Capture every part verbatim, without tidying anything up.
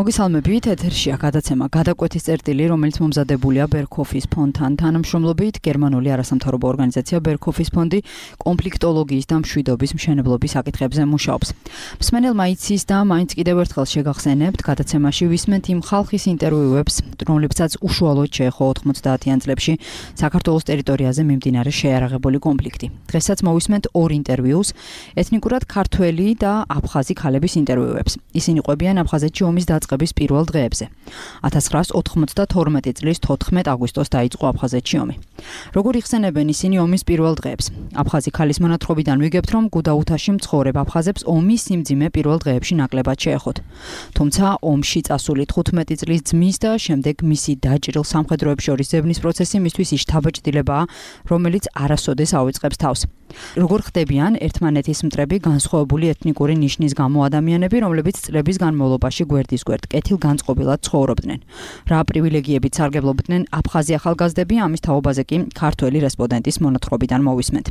მოგესალმებით, ეთერშია გადაცემა გადაკვეთის წერტილი, რომელიც მომზადებულია ბერქოფის ფონდთან თანამშრომლობით. გერმანული არასამთავრობო ორგანიზაცია ბერქოფის ფონდი კონფლიქტოლოგიის და მშვიდობის მშენებლობის საკითხებზე მუშაობს. მსმენელმა იცის და მაინც კიდევ ერთხელ შეგახსენებთ, გადაცემაში ვისმენთ იმ ხალხის ინტერვიუებს, რომლებსაც უშუალოდ შეეხო ოთხმოცდაათიან წლებში საქართველოს ტერიტორიაზე მიმდინარე შეიარაღებული კონფლიქტი. დღესაც მოვისმენთ ორ ინტერვიუს, ეთნიკურად ქართველი და აფხაზი ქალების ინტერვიუებს. ისინი ყვებიან აფხაზეთში ომის დაწყების პირველ დღეებზე. ათას ცხრაას ოთხმოცდათორმეტი წლის თოთხმეტ აგვისტოს დაიწყო აფხაზეთში ომი. როგორ იხსენებენ ისინი ომის პირველ დღეებს? აფხაზი ქალის მონათხრობიდან ვიგებთ, რომ გუდაუთაში მცხოვრებ აფხაზებს ომის სიმძიმე პირველ დღეებში ნაკლებად შეეხოთ. თუმცა ომში წასული თხუთმეტი წლის ძმის და შემდეგ მისი დაჭრილ სამხედროებს შორის ზებნის პროცესი მისთვის ის შთაბეჭდილებაა, რომელიც არასოდეს ავიწყებს თავს. როგორ ხდებიან ერთმანეთის მტრები განსხვავებული ეთნიკური ნიშნის გამო ადამიანები, რომლებიც წლების განმავლობაში გვერდის გვერდ კეთილგანწყობილად ცხოვრობდნენ. რა პრივილეგიებით სარგებლობდნენ აფხაზი ახალგაზრდები, ამის თაობაზე კი ქართველი რესპონდენტის მონათხრობიდან მოვისმენთ.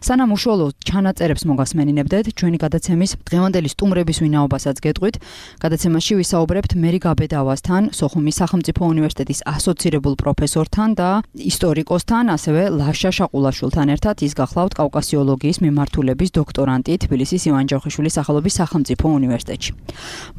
სანამ უშუალო ჩანაწერებს მოგასმენინებდეთ, ჩვენი გადაცემის დღევანდელი სტუმრების ვინაობასაც გეტყვით. გადაცემაში ვისაუბრებთ მერი გაბედავასთან, სოხუმის სახელმწიფო უნივერსიტეტის ასოცირებულ პროფესორთან და ისტორიკოსთან, ასევე ლაშა შაყულაშვილთან ერთად. ის გახლავთ კავკასიოლოგიის მიმართულების დოქტორანტი თბილისის ივან ჯავხიშვილის სახელობის სახელმწიფო უნივერსიტეტში.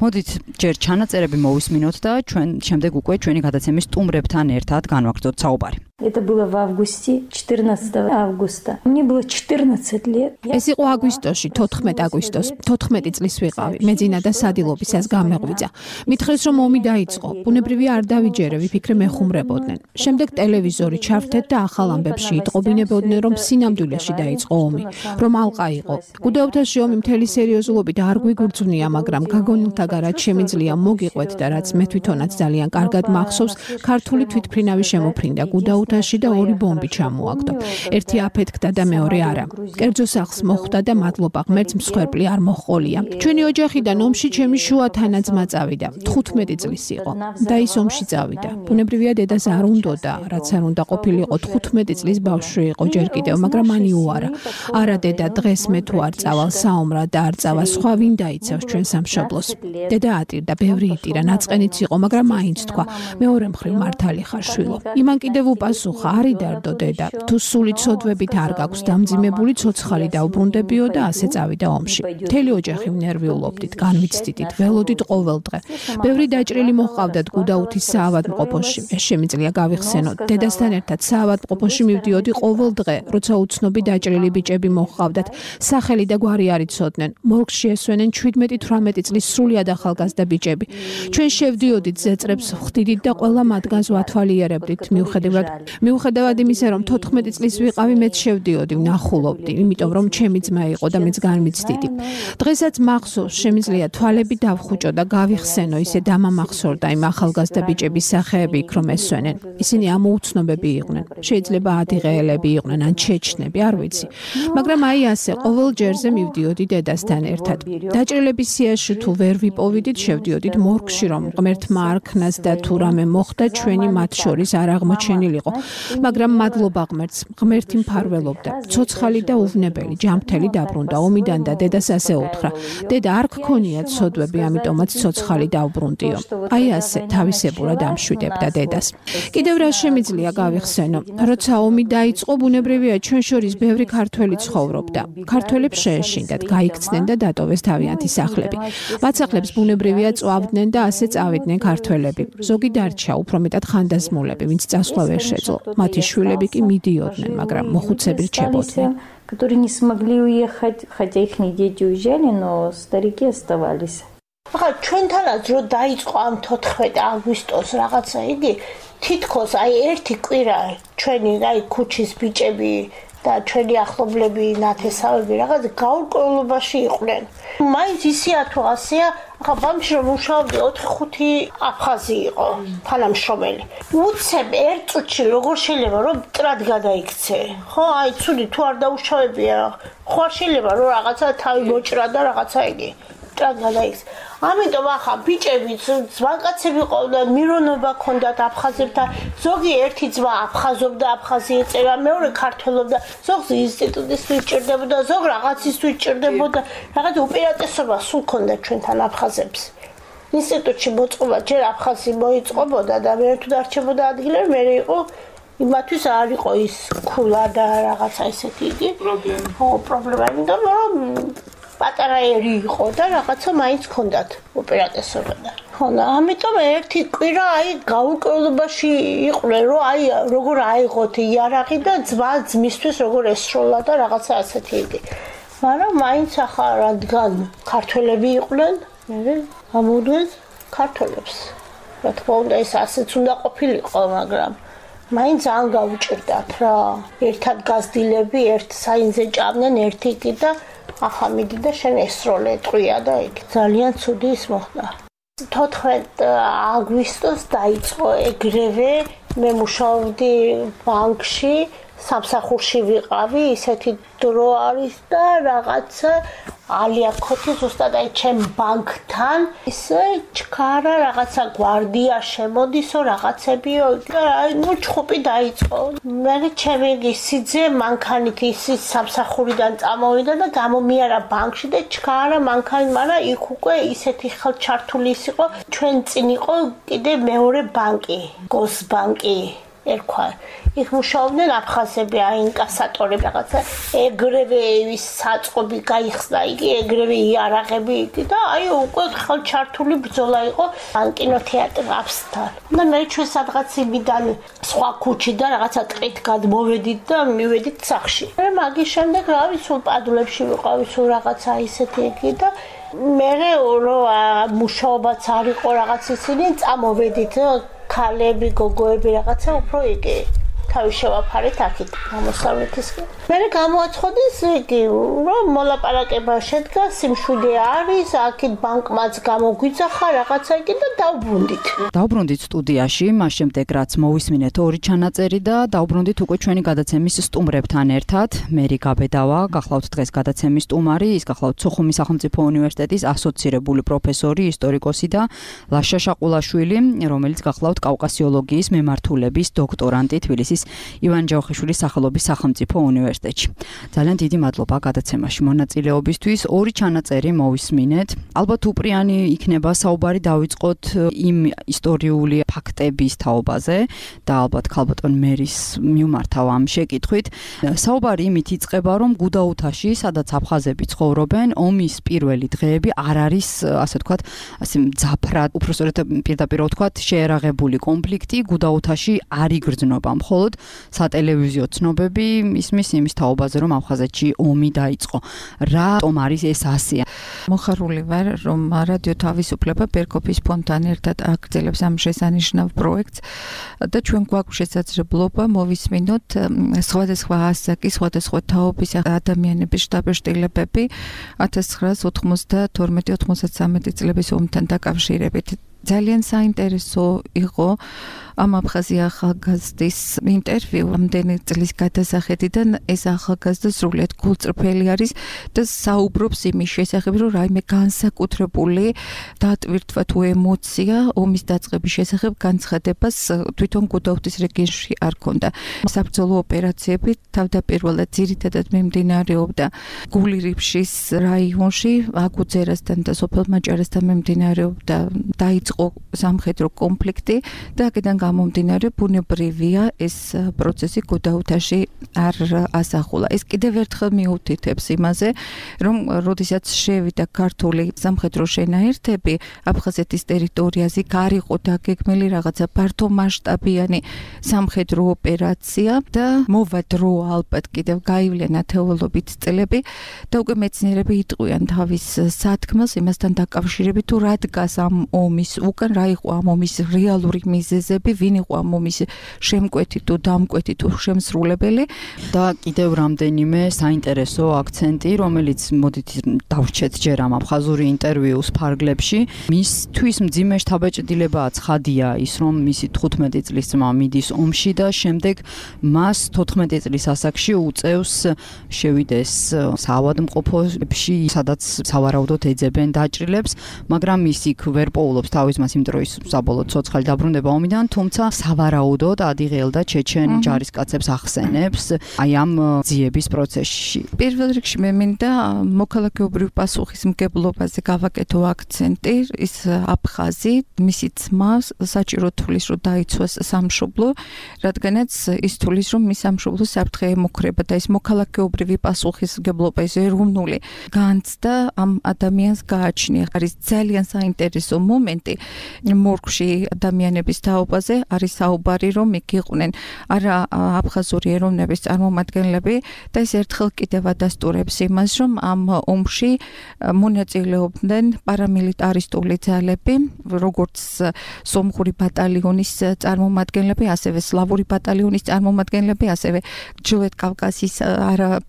მოდით ჯერ ჩანაწერები მოვისმინოთ და ჩვენ შემდეგ უკვე ჩვენი გადაცემის სტუმრებთან ერთად განვაგრძოთ საუბარი. Это было в августе, четырнадцатого августа. Мне было четырнадцать лет. ეს იყო აგვისტოში, თოთხმეტ აგვისტოს, თოთხმეტი წლის ვიყავი. მე ძინა და სადილობისას გამეღვიძა. მითხრეს, რომ ომი დაიწყო. ბუნებრივია არ დავიჯერე, ვიფიქრე მეხუმრებოდნენ. შემდეგ ტელევიზორი ჩავთეთ და ახალ ამბებში იტყობინებოდნენ, რომ სინამდვილეში დაიწყო ომი, რომ ალყა იყო. გუდაუთაში ომი მთელი სერიოზულობით არ გვიგრძვნია, მაგრამ გაგონილთა რაც შემიძლია მოგიყვეთ და რაც მე თვითონაც ძალიან კარგად მახსოვს, ქართული თვითმფრინავი შემოფრინდა გუდაუთში და ორი ბომბი ჩამოაგდო. ერთი აფეთქდა და მეორე არა. კერძო სახლს მოხვდა და მადლობა ღმერთს მსხვერპლი არ მოჰყოლია. ჩვენი ოჯახიდან ომში ჩემი შუა თანაძმა წავიდა. თხუთმეტი წლის იყო და ის ომში წავიდა. ბუნებრივია დედას არ უნდოდა, რაც არ უნდა ყოფილიყო თხუთმეტი წლის ბავშვი იყო ჯერ კიდევ, მაგრამ მან იუარა. არა დედა, დღეს მე თუ არ წავალ საომრად და არ წავა სხვა ვინ დაიცავს ჩვენ სამშობლოს. დედა ატირდა, ბევრი იტირა, ნაწყენიც იყო, მაგრამ მაინც თქვა, მეორე მხრივ მართალი ხარ შვილო. იმან კიდევ უპასუხა, არი დარდო დედა, თუ სული ცოდვებით არ გაქვს დამძიმებული, ცოცხალი დაუბრუნდებიო და ასე წავიდა ომში. მთელი ოჯახი ნერვიულობდით, განვიცდიდით, ველოდით ყოველ დღე. ბევრი დაჭრილი მოჰყავდათ გუდაუთის საავადმყოფოში. ეს შემიძლია გავიხსენოთ. დედასთან ერთად საავადმყოფოში მივდიოდი ყოველ დღე, როცა უცნობი დაჭრილი ბიჭები მოჰყავდათ. სახელი და გვარი არ იცოდნენ. მორგში ესვენენ ჩვიდმეტი თვრამეტი წლის სრულიად ახალგაზრდა ბიჭები. ჩვენ შევდიოდით ზეწრებს ვხდიდით და ყველა მათგანს ვათვალიერებდით. მიუხედავად მიუხედავად იმისა, რომ თოთხმეტი წლის ვიყავი, მეც შევდიოდი, ვნახულობდი, იმიტომ რომ ჩემი ძმა იყო და მეც განვიცდიდი. დღესაც მახსოვს, შემიძლია თვალები დავხუჭო და გავიხსენო, ისე დამამახსოვრდა იმ ახალგაზრდა ბიჭების სახეები იქ რომ ესვენენ. ისინი ამოუცნობები იყვნენ. შეიძლება ადიღეელები იყვნენ ან ჩეჩნები, არ ვიცი. მაგრამ აი ასე, ყოველ ჯერზე მივდიოდი დედასთან ერთად. დაჭრილების სიაში თუ ვერ ვიპოვიდით, შევდიოდით მორგში, რომ ღმერთმა არქნას და თუ რამე მოხდა, ჩვენი მათ შორის არ აღმოჩენილიყო. მაგრამ მადლობა ღმერთს, ღმერთი მფარველობდა. ცოცხალი და უვნებელი, ჯანმრთელი დაბრუნდა ომიდან და დედას ასე უთხრა. დედა არ გქონია ცოდვები, ამიტომაც ცოცხალი დაუბრუნდიო. აი ასე თავისებურად ამშვიდებდა დედას. კიდევ რა შემიძლია გავიხსენო, როცა ომი დაიწყო, ბუნებრივია ჩვენ შორის ბევრი ქართველი ცხოვრობდა. ქართველებს შეეშინდათ, გაიქცნენ და დატოვეს თავიანთი სახლები. მათ სახლებს ბუნებრივია წვავდნენ და ასე წავიდნენ ქართველები. ზოგი დარჩა, უფრო მეტად ხანდაზმულები, ვინც წასვლა ვერ შეძლო. მათი შვილები კი მიდიოდნენ, მაგრამ მოხუცები რჩებოდნენ. которые не смогли уехать, хотя их дети уезжали, но старики оставались. ახლა ჩვენთანაც რო დაიწყო ამ თოთხმეტ აგვისტოს რაღაცა იგი, თითქოს აი ერთი კვირა ჩვენი აი ქუჩის ბიჭები და ჩვენი ახლობლები, ნათესავები რაღაც გაურკვევლობაში იყვნენ. მაინც ისეა თუ ასეა, ახლა ბავშვი რომ მუშაობდი ოთხი ხუთი აფხაზი იყო თანამშრომელი. უცებ ერთ წუთში როგორ შეიძლება რომ მტრად გადაიქცე? ხო, აი ცუდი თუ არ დაუშავებია, ხო არ შეიძლება რომ რაღაცა თავი მოჭრა და რაღაცა იგი მტრად გადაიქცე. ამიტომ ახლა ბიჭები ძვანკაცები ყავდათ, მირონობა ქონდათ აფხაზებთან, ზოგი ერთი ძმა აფხაზობდა, აფხაზი ეწერა, მეორე ქართველობდა, ზოგს ინსტიტუტისთვის ჭირდებოდა, ზოგ რაღაცისთვის ჭირდებოდა, რაღაც უპირატესობა სულ ქონდა ჩვენთან აფხაზებს. ინსტიტუტში მოწყობა ჯერ აფხაზი მოიწყობოდა და მე თუ დარჩებოდა ადგილები, მე იყო იმათვის არ იყო ის ქულა და რაღაცა ისეთი იგი პრობლემა. ხო, პრობლემა, იმიტომ რომ პატარა ერი იყო და რაღაცა მაინც ჰქონდათ ოპერატესობა და. ხო, ამიტომ ერთი კვირა აი გაურკვევლობაში იყვნენ, რომ აი როგორ აიღოთ იარაღი და ძმა ძმისთვის როგორ ესროლა და რაღაცა ასეთი იგი. მაგრამ მაინც ახლა რადგან ქართველები იყვნენ, მე ამოუდგეს ქართველებს. რა თქმა უნდა, ეს ასეც უნდა ყოფილიყო, მაგრამ მაინც ძალიან გაუჭირდათ რა. ერთად გაზრდილები, ერთ საინზე ჭამდნენ, ერთი კი და ახლა მიდი და შენ ესროლე ტყვია და იქ ძალიან ცუდი ის მოხდა. თოთხმეტ აგვისტოს დაიწყო ეგრევე მე მუშაობდი ბანკში, სამსახურში ვიყავი, ისეთი დრო არის და რაღაცა ალიაქოთი ზუსტად აი ჩემ ბანკთან ისე ჩქარა რაღაცა გვარდია შემოდისო რაღაცებიო და აი ნუ ჩხუბი დაიწყო. მე ჩემი სიძე მანქანით ის სამსახურიდან წამოვიდა და გამომიარა ბანკში და ჩქარა მანქანით, მაგრამ იქ უკვე ისეთი ხელჩართული ის იყო, ჩვენ წინ იყო კიდე მეორე ბანკი, გოსბანკი ერქვა. იქ მუშაობდნენ აფხაზები, აი ინკასატორები რაღაცა, ეგრევე ის საწყობი გაიხსნა იგი, ეგრევე იარაღები იგი და აი უკვე ხელჩართული ბრძოლა იყო კინოთეატრ აფსთან. და მე ჩვენ სადღაც იმიდან სხვა ქუჩიდან რაღაცა ტყით გადმოვედით და მივედით სახლში. მე მაგის შემდეგ რავი სულ პადულებში ვიყავი, სულ რაღაცა ისეთი იგი და მე რომ მუშაობაც არ იყო რაღაც ისინი წამოვედით ქალები, გოგოები რაღაცა უფრო იგი თავი შევაფარეთ აქეთ გამოსავლეთისკენ. მე გამოაცხოდეს იგი, რომ მოლაპარაკება შედგა, სიმშვიდე არის, აქეთ ბანკმაც გამოგვიძახა რაღაცა იგი და დავბრუნდით. დავბრუნდით სტუდიაში, მას შემდეგ რაც მოვისმინეთ ორი ჩანაწერი და დავბრუნდით უკვე ჩვენი გადაცემის სტუმრებთან ერთად. მერი გაბედავა, გახლავთ დღეს გადაცემის სტუმარი, ის გახლავთ სოხუმის სახელმწიფო უნივერსიტეტის ასოცირებული პროფესორი, ისტორიკოსი და ლაშა შაყულაშვილი, რომელიც გახლავთ კავკასიოლოგიის მემართულების დოქტორანტი თბილისის ივან ჯავხიშვილის სახელობის სახელმწიფო უნივერსიტეტში. ძალიან დიდი მადლობა გადაცემაში მონაწილეობისთვის. ორი ჩანაწერი მოვისმინეთ. ალბათ უპრიანი იქნება საუბარი დავიწყოთ იმ ისტორიული ფაქტების თაობაზე და ალბათ ქალბატონ მერის მიმართავ ამ შეკითხვით. საუბარი იმით იწყება, რომ გუდაუთაში, სადაც აფხაზები ცხოვრობენ, ომის პირველი დღეები არ არის, ასე ვთქვათ, ასე მძაფრად, უბრალოდ პირდაპირ ვთქვათ, შეერაღებული კონფლიქტი გუდაუთაში არ იგრძნობა, მხოლოდ სატელევიზიო ცნობები ისმის იმის თაობაზე, რომ აფხაზეთში ომი დაიწყო. რატომ არის ეს ასეა? მოხარული ვარ, რომ რადიო თავისუფლება ბერკოფის ფონდთან ერთად აგრძელებს ამ შესანიშნავ პროექტს და ჩვენ გვაქვს შესაძლებლობა მოვისმინოთ სხვადასხვა ასაკის, სხვადასხვა თაობის ადამიანების შთაბეჭდილებები ათას ცხრაას ოცდაათი ოცდამეტი წლების ომთან დაკავშირებით. ძალიან საინტერესო იყო ამ აფხაზი ახალგაზრდის ინტერვიუ ამდენი წლის გადასახედიდან. ეს ახალგაზრდა სრულიად გულწრფელი არის და საუბრობს იმის შესახებ, რომ რაიმე განსაკუთრებული დატვირთვა თუ ემოცია ომის დაწყების შესახებ განცხადებას თვითონ გუდაუთის რეგიონში არ ქონდა. საბრძოლო ოპერაციები თავდაპირველად ძირითადად მიმდინარეობდა გულირიფშის რაიონში, აგუძერასთან და სოფელ მაჭარასთან მიმდინარეობდა დაიწყო სამხედრო კონფლიქტი და აქედან გამომდინარე ბუნებრივია ეს პროცესი გუდაუთაში არ ასახულა. ეს კიდევ ერთხელ მიუთითებს იმაზე, რომ როდესაც შევიდა ქართული სამხედრო შენაერთები აფხაზეთის ტერიტორიაზე, არ იყო დაგეგმილი რაღაცა ფართო მასშტაბიანი სამხედრო ოპერაცია და მოვა დრო ალბათ კიდევ გაივლენ ათეულობით წლები და უკვე მეცნიერები იტყვიან თავის სათქმელს იმასთან დაკავშირებით, თუ რა დგას ამ ომის უკან, რა იყო ამ ომის რეალური მიზეზები, ვინ იყო ამ ომის შემკვეთი თუ დამკვეთი თუ შემსრულებელი და კიდევ რამდენიმე საინტერესო აქცენტი, რომელიც მოდით დავრჩეთ ჯერ ამ აფხაზური ინტერვიუს ფარგლებში. მისთვის მძიმე შთაბეჭდილებაა ცხადია ის, რომ მისი თხუთმეტი წლის ძმა მიდის ომში და შემდეგ მას თოთხმეტი წლის ასაკში უწევს შევიდეს საავადმყოფოში, სადაც სავარაუდოდ ეძებენ დაჭრილებს, მაგრამ ის იქ ვერ პოულობს თავის ძმას, იმიტომ რომ ის საბოლოოდ ცოცხალი დაბრუნდება ომიდან, თუმცა სავარაუდოდ ადიღელ და ჩეჩენ ჯარისკაცებს ახსენებს აი ამ ძიების პროცესში. პირველ რიგში მე მინდა მოქალაქეობრივ პასუხისმგებლობაზე გავაკეთო აქცენტი. ის აფხაზი, მისი ძმა საჭირო თulis რომ დაიცვას სამშობლო, რადგანაც ის თulis რომ მის სამშობლო საფრთხე ემუქრება და ის მოქალაქეობრივი პასუხისმგებლობა ეს ეროვნული განცდა ამ ადამიანს გააჩნია. არის ძალიან საინტერესო მომენტი მორგში ადამიანების თაობაზე არის საუბარი რომ იქ იყვნენ არა აფხაზური ეროვნების წარმომადგენლები და ეს ერთხელ კიდევ ადასტურებს იმას რომ ამ ომში მონაწილეობდნენ პარამილიტარისტული ძალები როგორც სომხური ბატალიონის წარმომადგენლები ასევე სლავური ბატალიონის წარმომადგენლები ასევე ჩრდილოეთ კავკასიის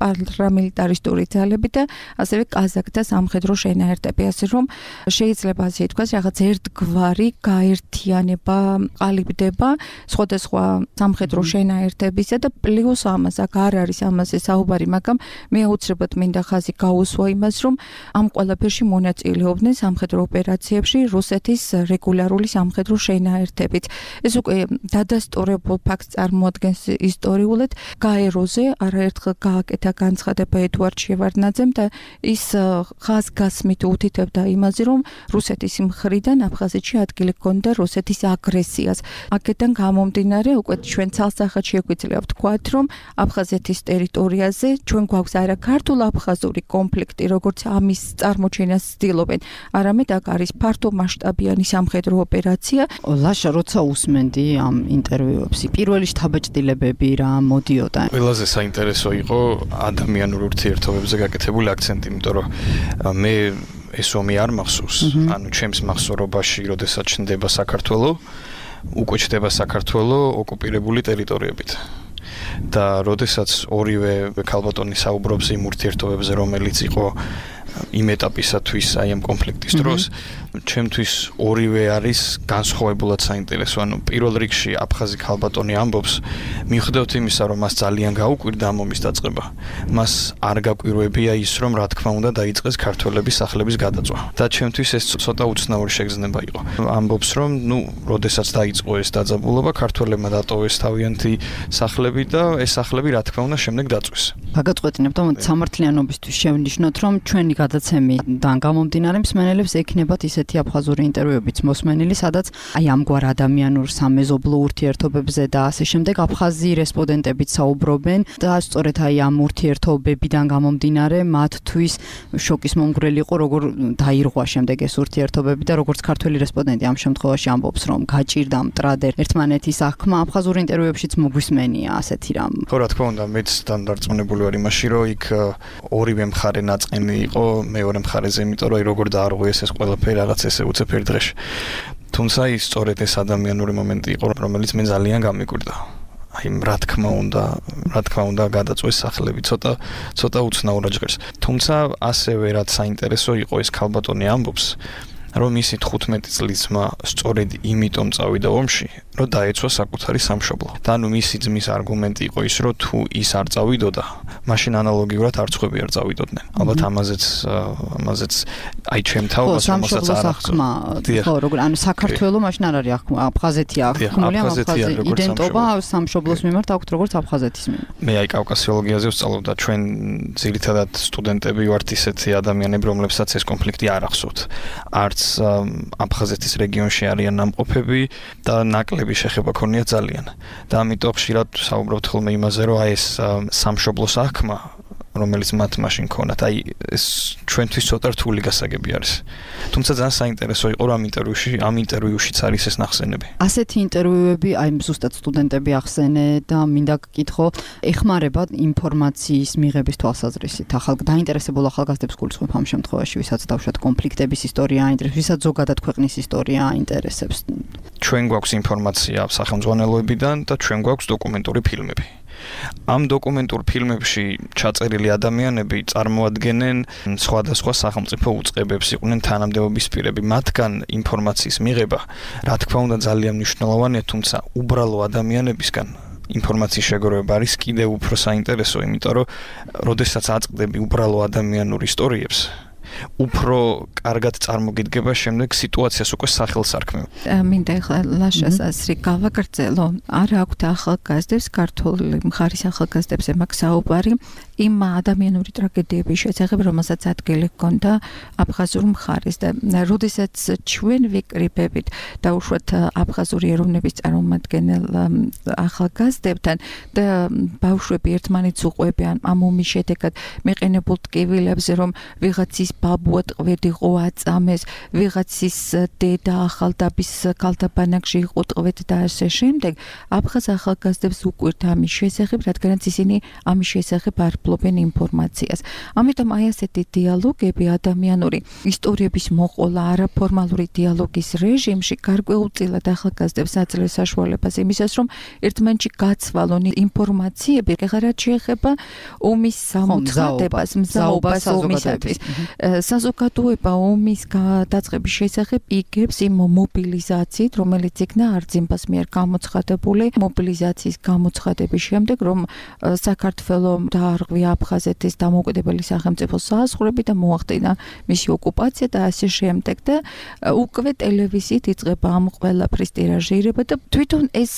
პარამილიტარისტული ძალები და ასევე კაზაკთა სამხედრო შენაერთები ასე რომ შეიძლება ასე ითქვას რაღაც ერთგვარი გაერთიანება ყალიბდება სხვადასხვა სამხედრო შენაერთებისა და პლუს ამას აქ არ არის ამაზე საუბარი, მაგრამ მე აუცილებლად მინდა ხაზი გაუსვა იმას, რომ ამ ყველაფერში მონაწილეობდნენ სამხედრო ოპერაციებში რუსეთის რეგულარული სამხედრო შენაერთებით. ეს უკვე დადასტურებულ ფაქტს წარმოადგენს ისტორიულად. გაეროზე არაერთხელ გააკეთა განცხადება ედუარდ შევარდნაძემ და ის ხაზგასმით უთითებდა იმაზე, რომ რუსეთის მხრიდან აფხაზეთში ადგილი ჰქონდა რუსეთის აგრესიას. აქედან გამომდინარე უკვე ჩვენ ცალსახად შეგვიძლია ვთქვათ, რომ აფხაზეთის ტერიტორიაზე ჩვენ გვაქვს არა ქართულ-აფხაზური კონფლიქტი, როგორც ამის წარმოჩენას ცდილობენ, არამედ აქ არის ფართო მასშტაბიანი სამხედრო ოპერაცია. ლაშა, როცა უსმენდი ამ ინტერვიუებს, პირველი შთაბეჭდილებები რა მოდიოდა? ყველაზე საინტერესო იყო ადამიანურ ურთიერთობებზე გაკეთებული აქცენტი, იმიტომ რომ მე ეს ომი არ მახსოვს, ანუ ჩემს მახსოვრობაში, როდესაც ჩნდება საქართველო, უკვე ჩნდება საქართველო ოკუპირებული ტერიტორიებით. და როდესაც ორივე ქალბატონი საუბრობს იმ ურთიერთობებზე, რომელიც იყო იმ ეტაპისათვის აი ამ კონფლიქტის დროს, ჩემთვის ორივე არის განსხვავებულად საინტერესო. ანუ პირველ რიგში აფხაზი ქალბატონი ამბობს, მიხვდეთ იმისა, რომ მას ძალიან გაუკვირდა ამ ომის დაწყება. მას არ გაკვირვებია ის, რომ რა თქმა უნდა დაიწყეს ქართველების სახლების გადაწვა. და ჩემთვის ეს ცოტა უცნაური შეგრძნება იყო. ამბობს, რომ ნუ, როდესაც დაიწყო ეს დაძაბულობა, ქართველებმა დატოვეს თავიანთი სახლები და ეს სახლები რა თქმა უნდა შემდეგ დაწვეს. გაგაწყვეტინებთ ამ სამართლიანობისთვის შევნიშნოთ, რომ ჩვენი გადაცემიდან გამომდინარე მსმენელებს ექნებათ ისეთი აფხაზური ინტერვიუებიც მოსმენილი, სადაც აი ამგვარ ადამიანურ სამეზობლო ურთიერთობებზე და ასე შემდეგ აფხაზი რესპონდენტებიც საუბრობენ და სწორედ აი ამ ურთიერთობებიდან გამომდინარე მათთვის შოკის მომგვრელი იყო როგორ დაირღვა შემდეგ ეს ურთიერთობები და როგორც ქართველი რესპონდენტი ამ შემთხვევაში ამბობს, რომ გაჭირდა მტრად ერთმანეთის აღქმა აფხაზურ ინტერვიუებშიც მოგვისმენია ასეთი რამ. ხო, რა თქმა უნდა, მეც დარწმუნებული ვარ იმაში, რომ იქ ორივე მხარე ნაწყენი იყო მეორე მხარეზე, იმიტომ რომ როგორ დაარღვიეს ეს ყველაფერი რაღაც ესე უცებ ერთ დღეში. თუმცა ის სწორედ ეს ადამიანური მომენტი იყო, რომელიც მე ძალიან გამიკვირდა. აი, რა თქმა უნდა, რა თქმა უნდა გადაწვეს სახლები, ცოტა ცოტა უცნაურად ჟღერს. თუმცა ასევე რაც საინტერესო იყო, ეს ქალბატონი ამბობს, რომ ისი თხუთმეტი წლის ძმა სწორედ იმიტომ წავიდა ომში, რომ დაეცვა საკუთარი სამშობლო. და ანუ მისი ძმის არგუმენტი იყო ის, რომ თუ ის არ წავიდოდა, მაშინ ანალოგიურად არცხვები არ წავიდოდნენ. ალბათ ამაზეც ამაზეც აი ჩემ თაობას რომელსაც არ ახსნა. ხო, როგორ ანუ საქართველო მაშინ არ არის ახმა, აფხაზეთია ახმული, აფხაზი იდენტობა სამშობლოს მიმართ აქვს როგორც აფხაზეთის მიმართ. მე აი კავკასიოლოგიაზე ვსწავლობ და ჩვენ ძირითადად სტუდენტები ვართ ისეთი ადამიანები, რომლებსაც ეს კონფლიქტი არ ახსოვთ. არც აფხაზეთის რეგიონში არიან ნამყოფები და ნაკლები შეხება ქონია ძალიან. და ამიტომ ხშირად საუბრობთ ხოლმე იმაზე, რომ აი ეს სამშობლოს აღქმა, რომელიც მათ მაშინ ქონათ, აი ეს ჩვენთვის ცოტა რთული გასაგები არის. თუმცა ძალიან საინტერესო იყო, რომ ამ ინტერვიუში, ამ ინტერვიუშიც არის ეს ნახსენები. ასეთი ინტერვიუები, აი ზუსტად სტუდენტები ახსენე და მინდა გკითხო, ეხმარება ინფორმაციის მიღების თვალსაზრისით. ახალ დაინტერესებულ ახალგაზრდებს გულისხმობ ამ შემთხვევაში, ვისაც დავუშვათ კონფლიქტების ისტორია აინტერესებს, ვისაც ზოგადად ქვეყნის ისტორია აინტერესებს. ჩვენ გვაქვს ინფორმაცია სახელმძღვანელოებიდან და ჩვენ გვაქვს დოკუმენტური ფილმები. ამ დოკუმენტურ ფილმებში ჩაწერილი ადამიანები წარმოადგენენ სხვადასხვა სახელმწიფო უწყებებს, იყვნენ თანამდებობის პირები. მათგან ინფორმაციის მიღება, რა თქმა უნდა, ძალიან მნიშვნელოვანია, თუმცა უბრალო ადამიანებისგან ინფორმაციის შეგროვება არის კიდევ უფრო საინტერესო, იმიტომ რომ როდესაც აწყდები უბრალო ადამიანურ ისტორიებს, უფრო კარგად წარმოგიდგება შემდეგ სიტუაციას უკვე სახელს არქმევ. მინდა ახლა ლაშას ასრი გავაგრძელო. არ აქვთ ახალგაზრდებს, ქართული მხარის ახალგაზრდებზე მაქვს საუბარი იმ ადამიანური ტრაგედიების შესახებ, რომელსაც ადგილი ჰქონდა აფხაზურ მხარეს და როდესაც ჩვენ ვიკრიბებით დაუშვათ აფხაზური ეროვნების წარმომადგენელ ახალგაზრდებთან და ბავშვები ერთმანეთს უყვებიან ამ ომის შედეგად მეყენებულ ტკივილებზე, რომ ვიღაცის ბაბუა ტყვედიყო აწამეს, ვიღაცის დედა ახალდაბის კალთაბანაკში იყო ტყვედ და ასე შემდეგ, აფხაზ ახალგაზრდებს უკვირთ ამის შესახებ, რადგანაც ისინი ამის შესახებ არ ფლობენ ინფორმაციას. ამიტომ აი ასეთი დიალოგები ადამიანური ისტორიების მოყოლა არაფორმალური დიალოგის რეჟიმში გარკვეულწილად ახალგაზრდებს აძლევს საშუალებას იმისას, რომ ერთმანეთში გაცვალონ ინფორმაციები, რაც შეეხება ომის სამოცხადებას, მზაობას ომისათვის. საზოგადოება ომის დაწყების შესახებ იგებს იმ მობილიზაციით, რომელიც იქნა არძიმბას მიერ გამოცხადებული მობილიზაციის გამოცხადების შემდეგ, რომ საქართველო დაარღვია აფხაზეთის დამოუკიდებელი სახელმწიფოს საზღვრები და მოახდინა მისი ოკუპაცია და ასე შემდეგ და უკვე ტელევიზიით იწყება ამ ყველაფრის ტირაჟირება და თვითონ ეს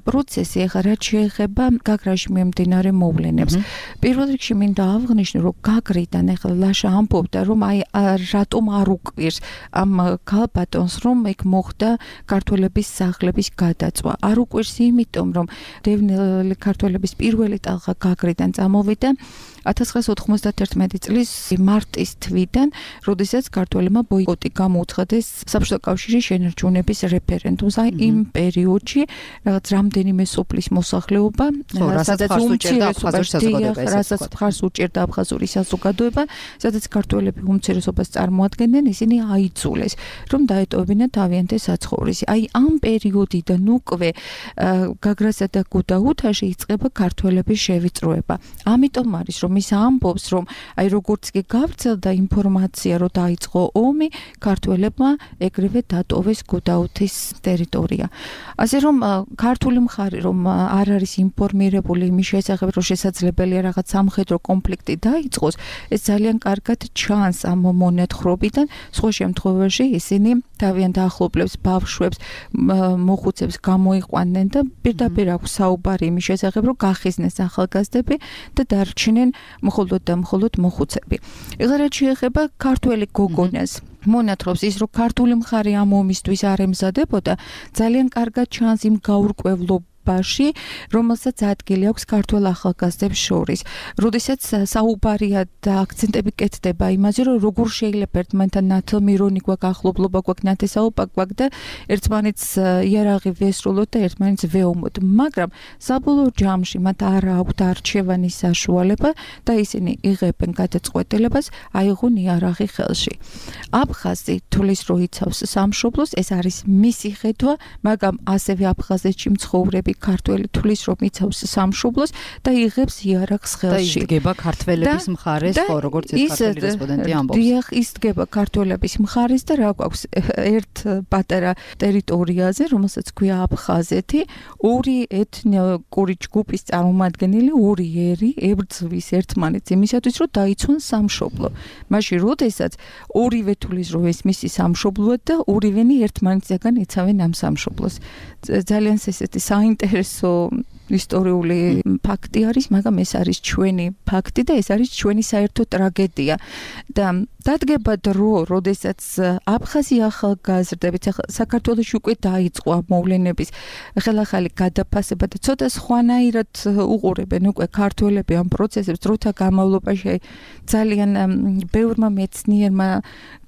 პროცესი ახლა რაც შეეხება გაგრაში მიმდინარე მოვლენებს. პირველ რიგში მინდა აღვნიშნო, რომ გაგრიდან ახლა ლაშა ამბობდა, რომ აი რატომ არ უკვირს ამ ქალბატონს, რომ იქ მოხდა ქართველების სახლების გადაწვა. არ უკვირს იმიტომ, რომ დევნილი ქართველების პირველი ტალღა გაგრიდან წამოვიდა ათას ცხრაასა ოთხმოცდაათერთმეტი წლის მარტის თვიდან, როდესაც ქართველებმა ბოიკოტი გამოუცხადეს საბჭოთა კავშირის შენარჩუნების რეფერენდუმს. აი იმ პერიოდში რაღაც რამდენიმე სოფლის მოსახლეობა, სადაც უმცირესობას მხარს უჭერდა აფხაზური საზოგადოება, სადაც ქართველები უმცირესობას წარმოადგენდნენ, ისინი აიძულეს, რომ დაეტოვებინათ თავიანთი საცხოვრისი. აი ამ პერიოდიდან უკვე გაგრასა და გუდაუთაში იწყება ქართველების შევიწროება. ამიტომ არის რომ ის ამბობს, რომ აი როგორც კი გავრცელდა ინფორმაცია, რომ დაიწყო ომი, ქართველებმა ეგრევე დატოვეს გუდაუთის ტერიტორია. ასე რომ ქართული მხარი რომ არ არის ინფორმირებული იმის შესახებ, რომ შესაძლებელია რაღაც სამხედრო კონფლიქტი დაიწყოს, ეს ძალიან კარგად ჩანს ამ მონათხრობიდან. სხვა შემთხვევაში ისინი თავიანთ ახლობლებს, ბავშვებს, მოხუცებს გამოიყვანნენ და პირდაპირ აქვს საუბარი იმის შესახებ, რომ გახიზნეს ახალგაზრდები და დარჩნენ მხოლოდ და მხოლოდ მოხუცები. ეხლა რაც შეეხება ქართველი გოგონას, მონათხრობს ის, რომ ქართული მხარი ამ ომისთვის არ ემზადებოდა, ძალიან კარგად ჩანს იმ გაურკვევლობ რომელსაც ადგილი აქვს ქართველ ახალგაზრდებს შორის. როდესაც საუბარია და აქცენტები კეთდება იმაზე, რომ როგორ შეიძლება ერთმანეთთან ნათლმირონი გვაქვს, ახლობლობა გვაქვს, ნათესაობა გვაქვს და ერთმანეთს იარაღი ვესრულოთ და ერთმანეთს ვეომოთ. მაგრამ საბოლოო ჯამში მათ არ აქვთ არჩევანის საშუალება და ისინი იღებენ გადაწყვეტილებას აიღონ იარაღი ხელში. აფხაზი თulis რო იცავს სამშობლოს, ეს არის მისი ხედვა, მაგრამ ასევე აფხაზეთში მცხოვრები ქართველი თulis რომ იცავს სამშობლოს და იღებს იარაღს ხელში. და იდგება ქართველების მხარეს, ხო, როგორც ეს ქართველი რესპონდენტი ამბობს. დიახ, ისდგება ქართველების მხარეს და რა გვაქვს ერთ პატარა ტერიტორიაზე, რომელსაც ქვია აფხაზეთი, ორი ეთნიკური ჯგუფის წარმომადგენელი, ორი ერი ებრძვის ერთმანეთს იმისათვის, რომ დაიცვან სამშობლო. მაშინ როდესაც ორივე თulis რომ ეს მისი სამშობლოა და ორივენი ერთმანეთსაგან იცავენ ამ სამშობლოს. ძალიან ესეთი საინტერესო ისტორიული ფაქტი არის, მაგრამ ეს არის ჩვენი ფაქტი და ეს არის ჩვენი საერთო ტრაგედია. და დადგება დრო, როდესაც აფხაზი ახალგაზრდებით საქართველოში უკვე დაიწყო მოვლენების ხელახალი გადაფასება და ცოტა სხვანაირად უყურებენ უკვე ქართველები ამ პროცესებს, დროთა განმავლობაში ძალიან ბევრმა მეცნიერმა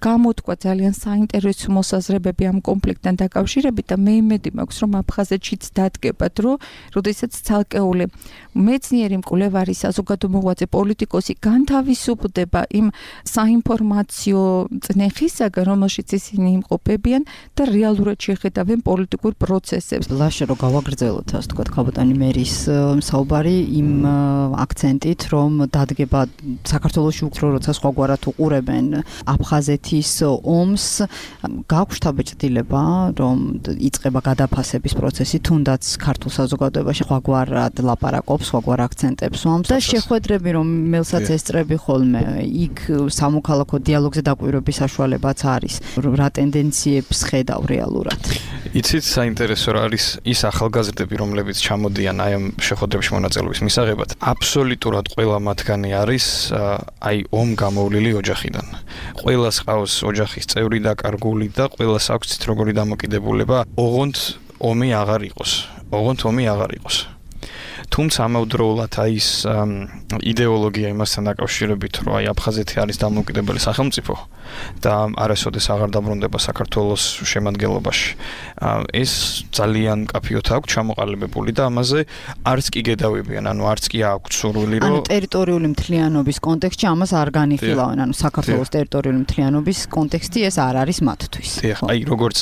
გამოთქვა ძალიან საინტერესო მოსაზრებები ამ კონფლიქტთან დაკავშირებით და მე იმედი მაქვს, რომ აფხაზეთშიც დადგება დრო, როდესაც ცალკეული მეცნიერი მკვლევარი, საზოგადო მოღვაწე, პოლიტიკოსი განთავისუფლდება იმ საინფორმაციო წნეხისაგან, რომელშიც ისინი იმყოფებიან და რეალურად შეხედავენ პოლიტიკურ პროცესებს. ლაშა რო გავაგრძელოთ, ასე თქვა, ქალბატონი მერის საუბარი იმ აქცენტით, რომ დადგება საქართველოში უფრო როცა სხვაგვარად უყურებენ აფხაზეთის ომს, გაქვს შთაბეჭდილება, რომ იწყება გადაფასების პროცესი, თუნდაც ქართულ საზოგადოებაში სხვაგვარად ლაპარაკობს, სხვაგვარ აქცენტებს ვამს და შეხვედრები რომ მელსაც ესწრები ხოლმე, იქ სამოქალაქო დიალოგზე დაკვირვების საშუალებაც არის. რა ტენდენციებს ხედავ რეალურად? იცით, საინტერესო რა არის ის ახალგაზრდები, რომლებიც ჩამოდიან აი ამ შეხვედრებში მონაწილეობის მისაღებად. აბსოლუტურად ყველა მათგანი არის აი ომ გამოვლილი ოჯახიდან. ყველას ყავს ოჯახის წევრი და კარგული და ყველას აქვს ცით როგორი დამოკიდებულება, ოღონდ ომი აღარ იყოს. ოღონდ ომი აღარ იყოს. თუმცა ამავდროულად აი ეს იდეოლოგია იმასთან დაკავშირებით, რომ აი აფხაზეთი არის დამოუკიდებელი სახელმწიფო და არასოდეს აღარ დაბრუნდება საქართველოს შემადგენლობაში. ეს ძალიან კაფიოთ აქვს ჩამოყალიბებული და ამაზე არც კი გედავებიან, ანუ არც კი აქვს სურვილი, რომ ანუ ტერიტორიული მთლიანობის კონტექსტში ამას არ განიხილავენ, ანუ საქართველოს ტერიტორიული მთლიანობის კონტექსტი ეს არ არის მათთვის. აი როგორც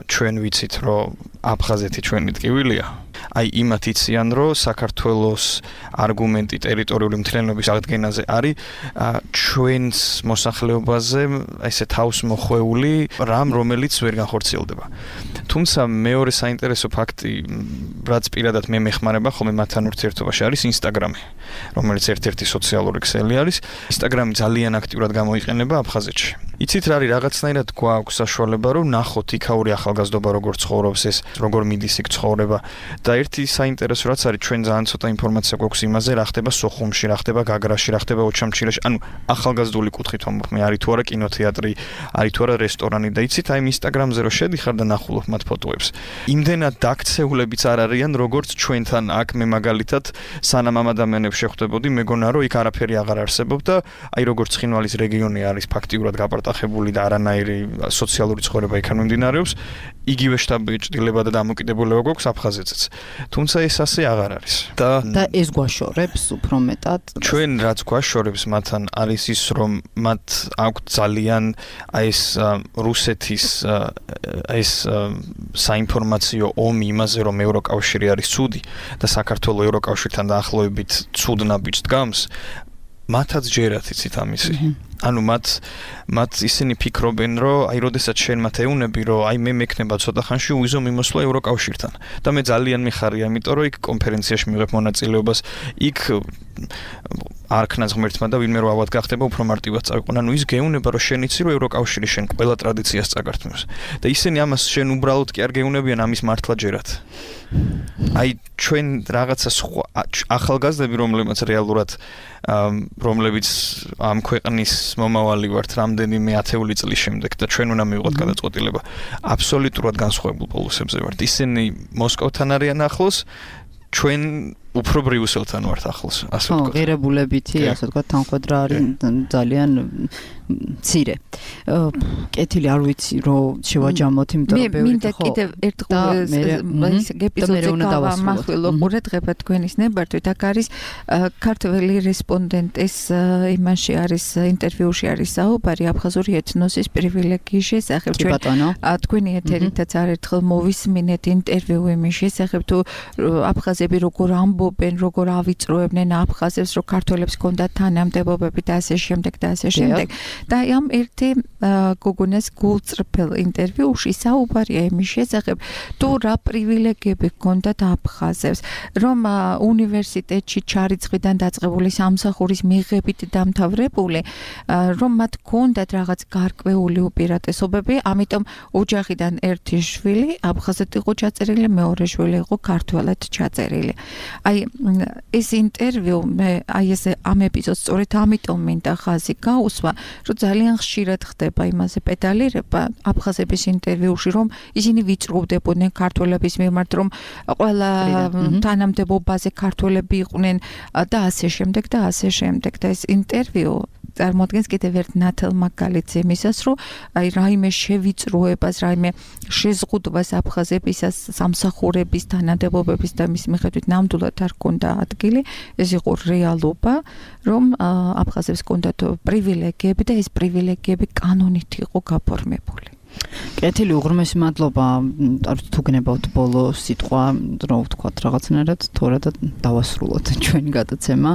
ჩვენ ვიცით, რომ აფხაზეთი ჩვენი ტკივილია, აი იმათ იციან, რომ საქართველოს არგუმენტი ტერიტორიული მთლიანობის აღდგენაზე არის ჩვენს მოსახლეობაზე ესე თავს მოხვეული რამ, რომელიც ვერ განხორციელდება. თუმცა მეორე საინტერესო ფაქტი, რაც პირადად მე მეხმარება ხოლმე მათთან ურთიერთობაში არის ინსტაგრამი, რომელიც ერთ-ერთი სოციალური ქსელი არის. ინსტაგრამი ძალიან აქტიურად გამოიყენება აფხაზეთში. იცით რა არის, რაღაცნაირად გვაქვს საშუალება, რომ ნახოთ იქაური ახალგაზრდობა როგორ ცხოვრობს ეს, როგორ მიდის იქ ცხოვრება და ერთი საინტერესო რაც არის, ჩვენ ძალიან ცოტა ინფორმაცია გვაქვს იმაზე, რა ხდება სოხუმში, რა ხდება გაგრაში, რა ხდება ოჩამჩირაში, ანუ ახალგაზრდული კუთხით ვამბობ მე, არის თუ არა კინოთეატრი, არის თუ არა რესტორანი და იცით, აი ინსტაგრამზე რო შედიხარ და ნახულობ მათ ფოტოებს. იმდენად დაქცეულებიც არ არიან, როგორც ჩვენთან აქ მე მაგალითად სანამ ამ ადამიანებს შეხვდებოდი, მეგონა რომ იქ არაფერი აღარ არსებობდა, აი როგორც ცხინვალის რეგიონი არის ფაქტიურად გაპარტახებული და არანაირი სოციალური ცხოვრება იქ არ მიმდინარეობს, იგივე შტაბ-ბიჭდილება და დამოკიდებულება გვაქვს აფხაზეთზეც. თუმცა ეს ასე აღარ არის. და და ეს გვაშორებს უფრო მეტად. ჩვენ რაც გვაშორებს მათთან არის ის, რომ მათ აქვთ ძალიან აი ეს რუსეთის ეს საინფორმაციო ომი იმაზე, რომ ევროკავშირი არის ცუდი და საქართველოს ევროკავშირთან დაახლოებით ცუდ ნაბიჯს დგამს, მათაც ჯერათ იცით ამისი. ანუ მათ მათ ისინი ფიქრობენ, რომ აი როდესაც შენ მათ ეუნები, რომ აი მე მექნება ცოტა ხანში უიზო მიმოსვლა ევროკავშირთან. და მე ძალიან მიხარია, იმიტომ რომ იქ კონფერენციაში მივიღებ მონაწილეობას, იქ არქნას ღმერთმა და ვინმე რო ავად გახდება, უფრო მარტივად წავიყვან. ანუ ის გეუნება, რომ შენ იცი, რომ ევროკავშირი შენ ყველა ტრადიციას წაგართმევს. და ისინი ამას შენ უბრალოდ კი არ გეუნებიან, ამის მართლა ჯერათ. აი ჩვენ რაღაცა სხვა ახალგაზრდები, რომლებიც რეალურად რომლებიც ამ ქვეყნის მომავალი ვართ რამდენიმე ათეული წლის შემდეგ და ჩვენ უნდა მივიღოთ გადაწყვეტილება. აბსოლუტურად განსხვავებულ პოლუსებზე ვართ. ისინი მოსკოვთან არიან ახლოს, ჩვენ უფრო ბრიუსელთან ვართ ახლოს, ასე ვთქვათ. ხო, ღირებულებითი, ასე ვთქვათ, თანხმედრა არის ძალიან მცირე. კეთილი არ ვიცი, რომ შევაჯამოთ, იმიტომ რომ ბევრი მინდა კიდევ ერთხელ ის ეპიზოდზე გავამახვილო ყურადღება თქვენის ნებართვით. აქ არის ქართველი რესპონდენტის იმაში არის ინტერვიუში არის საუბარი აფხაზური ეთნოსის პრივილეგიის შესახებ. ჩვენ თქვენი ეთერითაც არერთხელ მოვისმინეთ ინტერვიუ იმის შესახებ, თუ აფხაზები როგორ ამბობენ, როგორ ავიწროებდნენ აფხაზებს, რომ ქართველებს ჰქონდათ თანამდებობები და ასე შემდეგ და ასე შემდეგ. და ამ ერთი გოგონას გულწრფელ ინტერვიუში საუბარია იმის შესახებ, თუ რა პრივილეგიები ჰქონდათ აფხაზებს, რომ უნივერსიტეტში ჩარიცხვიდან დაწყებული სამსახურის მიღებით დამთავრებული, რომ მათ ჰქონდათ რაღაც გარკვეული უპირატესობები, ამიტომ ოჯახიდან ერთი შვილი აფხაზეთ იყო ჩაწერილი, მეორე შვილი იყო ქართველად ჩაწერილი. აი ეს ინტერვიუ მე აი ეს ამ ეპიზოდს სწორედ ამიტომ მინდა ხაზი გაუსვა, რომ ძალიან ხშირად ხდება იმაზე პედალირება აფხაზების ინტერვიუში, რომ ისინი ვიწროვდებოდნენ ქართველების მიმართ, რომ ყველა თანამდებობაზე ქართველები იყვნენ და ასე შემდეგ და ასე შემდეგ. და ეს ინტერვიუ წარმოადგენს კიდევ ერთ ნათელ მაგალითს იმისას, რომ აი რაიმე შევიწროებას, რაიმე შეზღუდვას აფხაზებისას სამსახურების თანამდებობების და მის მიხედვით ნამდვილად არ ჰქონდა ადგილი, ეს იყო რეალობა, რომ აფხაზებს ჰქონდათ პრივილეგიები და ეს პრივილეგიები კანონით იყო გაფორმებული. კეთილი, უღრმესი მადლობა. თუ გნებავთ ბოლო სიტყვა, რო ვთქვათ რაღაცნაირად, თორე და დავასრულოთ ჩვენი გადაცემა.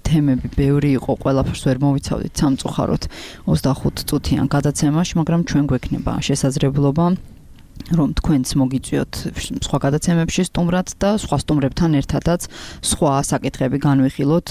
თემები ბევრი იყო, ყველაფერს ვერ მოვიცავდით სამწუხაროდ ოცდახუთ წუთიან გადაცემაში, მაგრამ ჩვენ გვექნება შესაძლებლობა რომ თქვენც მოგიწვიოთ სხვა გადაცემებში სტუმრად და სხვა სტუმრებთან ერთადაც სხვა საკითხები განვიხილოთ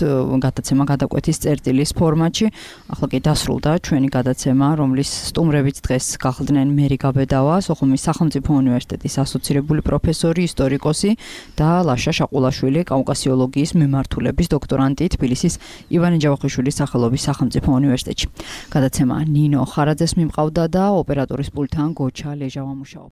გადაცემა გადაკვეთის წერტილის ფორმატში. ახლა კი დასრულდა ჩვენი გადაცემა, რომლის სტუმრებიც დღეს გახლდნენ მერი გაბედავა, სოხუმის სახელმწიფო უნივერსიტეტის ასოცირებული პროფესორი, ისტორიკოსი და ლაშა შაყულაშვილი, კავკასიოლოგიის მიმართულების დოქტორანტი თბილისის ივანე ჯავახიშვილის სახელობის სახელმწიფო უნივერსიტეტში. გადაცემა ნინო ხარაძეს მიმყავდა და ოპერატორის პულტთან გოჩა ლეჟავა მუშაობდა.